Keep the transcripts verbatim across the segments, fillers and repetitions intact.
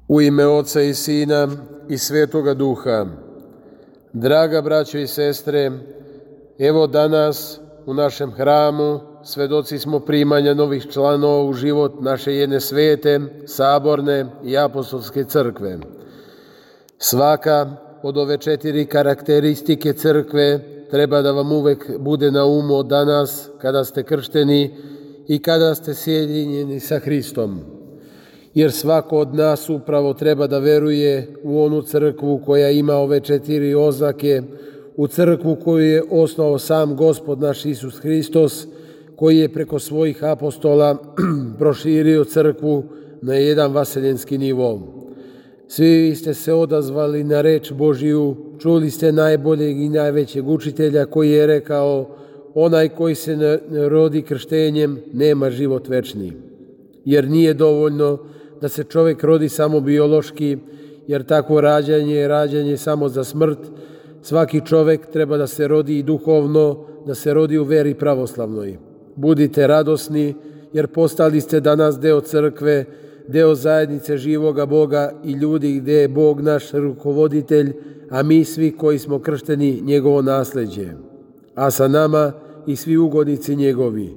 U ime Oca i Sina i Svetoga Duha. Draga braćo i sestre, evo danas u našem hramu svedoci smo primanja novih članova u život naše jedne svete, saborne i apostolske crkve. Svaka od ove četiri karakteristike crkve treba da vam uvek bude na umu od danas kada ste kršteni i kada ste sjedinjeni sa Hristom. Jer svako od nas upravo treba da veruje u onu crkvu koja ima ove četiri oznake, u crkvu koju je osnovao sam Gospod naš Isus Hristos, koji je preko svojih apostola proširio crkvu na jedan vaseljenski nivo. Svi ste se odazvali na reč Božiju, čuli ste najboljeg i najvećeg učitelja koji je rekao: onaj koji se ne rodi krštenjem nema život večni. Jer nije dovoljno da se čovjek rodi samo biološki, jer takvo rađanje je rađanje samo za smrt. Svaki čovjek treba da se rodi i duhovno, da se rodi u veri pravoslavnoj. Budite radosni, jer postali ste danas deo crkve, deo zajednice živoga Boga i ljudi gdje je Bog naš rukovoditelj, a mi svi koji smo kršteni njegovo nasljeđe. A sa nama i svi ugodnici njegovi.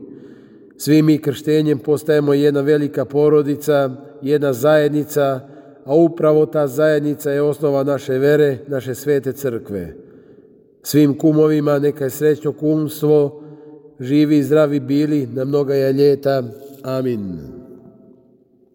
Svi mi krštenjem postajemo jedna velika porodica, jedna zajednica, a upravo ta zajednica je osnova naše vere, naše svete crkve. Svim kumovima neka je srećno kumstvo, živi i zdravi bili na mnoga ljeta. Amin.